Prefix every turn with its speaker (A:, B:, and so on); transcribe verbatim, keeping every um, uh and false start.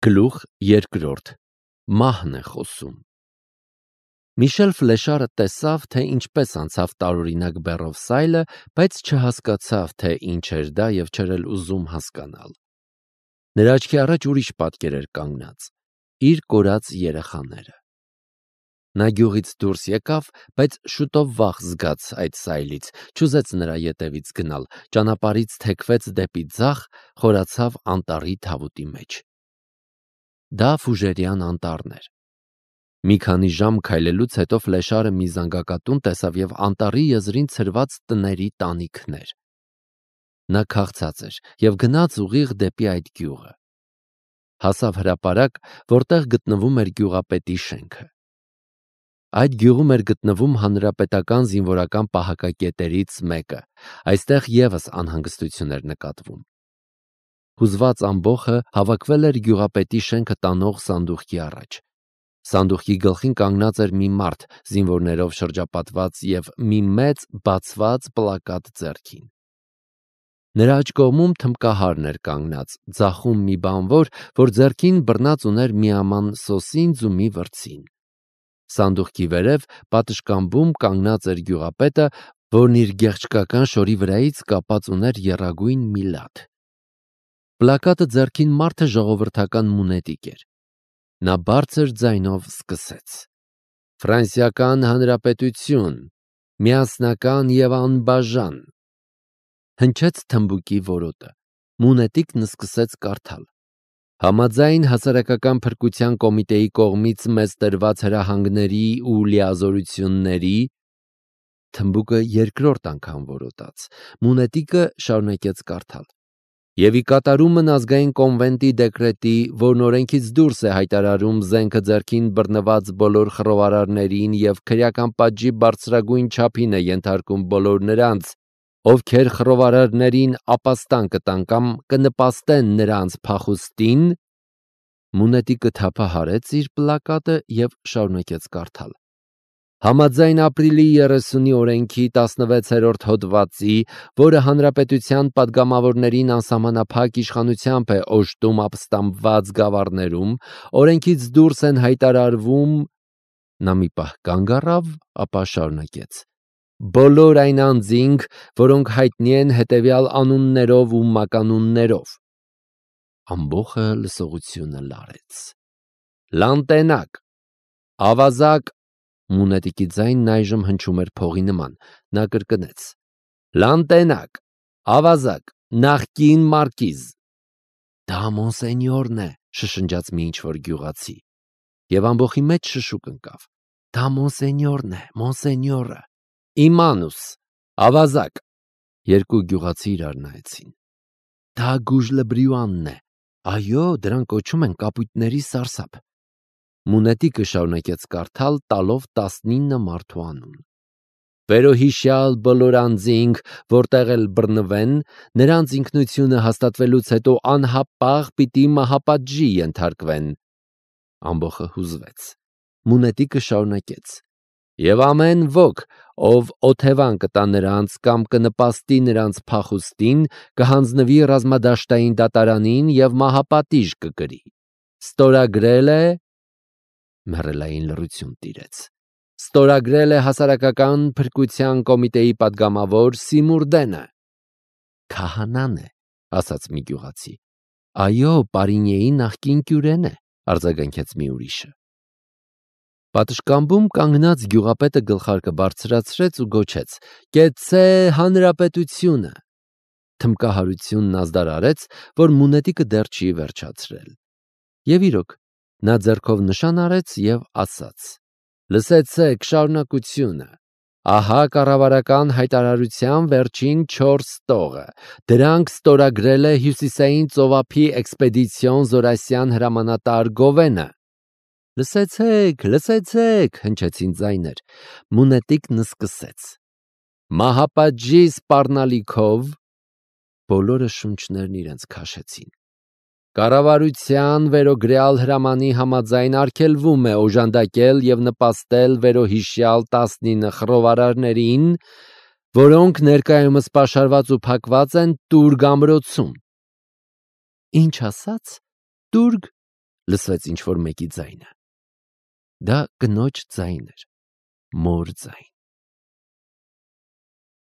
A: Գլուխ երկրորդ. Մահն է խոսում։ Միշել Ֆլեշարը տեսավ, թե ինչպես անցավ տարօրինակ բեռով սայլը, բայց չհասկացավ, թե ինչ էր դա և չէր էլ ուզում հասկանալ։ Նրա աչքի առաջ ուրիշ պատկեր էր կանգնած՝ իր կորած երեխաները։ Նա գյուղից դուրս եկավ, բայց շուտով վախ զգաց այդ սայլից, չուզեց նրա ետևից գնալ, ճանապարհից թեքվեց դեպի ձախ, խորացավ անտառի թավուտի մեջ։ Դա Ֆուժերյան անտառն էր։ Մի քանի ժամ քայլելուց հետո Ֆլեշարը մի զանգակատուն տեսավ և անտառի եզրին ցրված տների տանիքներ։ Նա քաղցած էր և գնաց ուղիղ դեպի այդ գյուղը։ Հասավ հրապարակ, որտեղ գտնվում էր գյուղապետի շենքը։ Այդ գյուղում էր գտնվում հանրապետական զինվորական պահակակետերից մեկը, այստեղ ևս անհանգստություն էր նկատվում։ Հուզված ամբոխը հավաքվել էր գյուղապետի շենքը տանող սանդուղքի առաջ։ Սանդուղքի գլխին կանգնած էր մի մարդ, զինվորներով շրջապատված և մի մեծ բացված պլակատ ձեռքին։ Նրա աջ կողմում թմբկահարն էր կանգնած, ձախում մի բանվոր, որ ձեռքին բռնած ուներ միաման սոսինձ ու մի վրձին։ Սանդուղքի վերև պատշգամբում կանգնած էր գյուղապետը, որն իր գեղչկական շորի վրայից կապած ուներ եռագույն մի լադ։ Պլակատը ձեռքին մարդը ժողովրդական մունետիկ էր։ Նա բարձր ձայնով սկսեց. «Ֆրանսիական Հանրապետություն, միասնական և անբաժան»։ Հնչեց թմբուկի որոտը։ Մունետիկն սկսեց կարդալ. «Համաձայն հասարակական փրկության կոմիտեի կողմից մեզ տրված հրահանգների ու լիազորությունների…» Թմբուկը երկրորդ անգամ որոտաց։ Մունետիկը շարունակեց կարդալ. «Եվ ի կատարումն ազգային կոնվենտի դեկրետի, որն օրենքից դուրս է հայտարարում զենքը ձեռքին բռնված բոլոր խռովարարներին և քրեական պատժի բարձրագույն չափին է ենթարկում բոլոր նրանց, ովքեր խռովարարներին ապաստան կտան կամ կնպաստեն նրանց փախուստին…» Մունետիկը թափահարեց իր պլակատը և շարունակեց կարդալ. «Համաձայն ապրիլի երեսունի օրենքի տասնվեցերորդ հոդվածի, որը հանրապետության պատգամավորներին անսահմանափակ իշխանությամբ է օժտում ապստամբված գավառներում, օրենքից դուրս են հայտարարվում…» Նա մի պահ կանգ առավ, ապա շարունակեց. «բոլոր այն անձինք, որոնք հայտնի են հետևյալ անուններով ու մականուններով…» Ամբոխը լսողությունը լարեց։ «Լանտենակ, ավազակ…» Մունետիկի ձայնն այժմ հնչում էր փողի նման։ Նա կրկնեց. «Լանտենակ, ավազակ, նախկին մարկիզ…» «Դա Մոնսենյորն է», շշնջաց մի ինչ-որ գյուղացի։ Եվ ամբոխի մեջ շշուկ ընկավ. «Դա Մոնսենյորն է, Մոնսենյորը…» «Իմանուս, ավազակ…» Երկու գյուղացի իրար նայեցին։ «Դա Գուժլեբրյուանն է։ Այո, դրան կոչում են կապույտների սարսափ»։ Մունետիկը շարունակեց կարդալ, տալով տասնինը մարդու անուն. «Վերոհիշյալ բոլոր անձինք, որտեղ էլ բռնվեն, նրանց ինքնությունը հաստատվելուց հետո անհապաղ պիտի մահապատժի ենթարկվեն…» Ամբոխը հուզվեց։ Մունետիկը շարունակեց. «Եվ ամեն ոք, ով օթևան կտա նրանց կամ կնպաստի նրանց փախուստին, կհանձնվի ռազմադաշտային դատարանին և մահապատիժ կկրի… Ստորագրել է…» Մեռելային լռություն տիրեց։ «Ստորագրել է հասարակական փրկության կոմիտեի պատգամավոր Սիմուրդենը»։ «Քահանան է», ասաց մի գյուղացի։ «Այո, Պարինյեի նախկին կյուրեն է», արձագանքեց մի ուրիշը։ Պատշգամբում կանգնած գյուղապետը գլխարկը բարձրացրեց ու գոչեց. «Կեցցե հանրապետությունը»։ Թմբկահարությունն ազդար արեց, որ մունետիկը դեռ չի վերջացրել։ Եվ իրոք, նա ձեռքով նշան արեց և ասաց. «Լսեցեք շարունակությունը… Ահա կառավարական հայտարարության վերջին չորս տողը… Դրանք ստորագրել է Հյուսիսային ծովափի էքսպեդիցիոն Զորասյան հրամանատար Գովենը»։ «Լսեցեք, լսեցեք», հնչեցին ձայներ։ Մունետիկն սկսեց. «Մահապատժի սպառնալիքով…» Բոլորը շունչներն իրենց քաշեցին։ «Կառավարության վերոգրյալ հրամանի համաձայն արգելվում է օժանդակել և նպաստել վերոհիշյալ տասնինը խռովարարներին, որոնք ներկայումս պաշարված ու փակված են Տուրգ ամրոցում»։ «Ինչ ասաց, Տուրգ»։ լսվեց ինչ-որ մեկի ձայնը։ Դա կնոջ ձայն էր, մոր ձայն։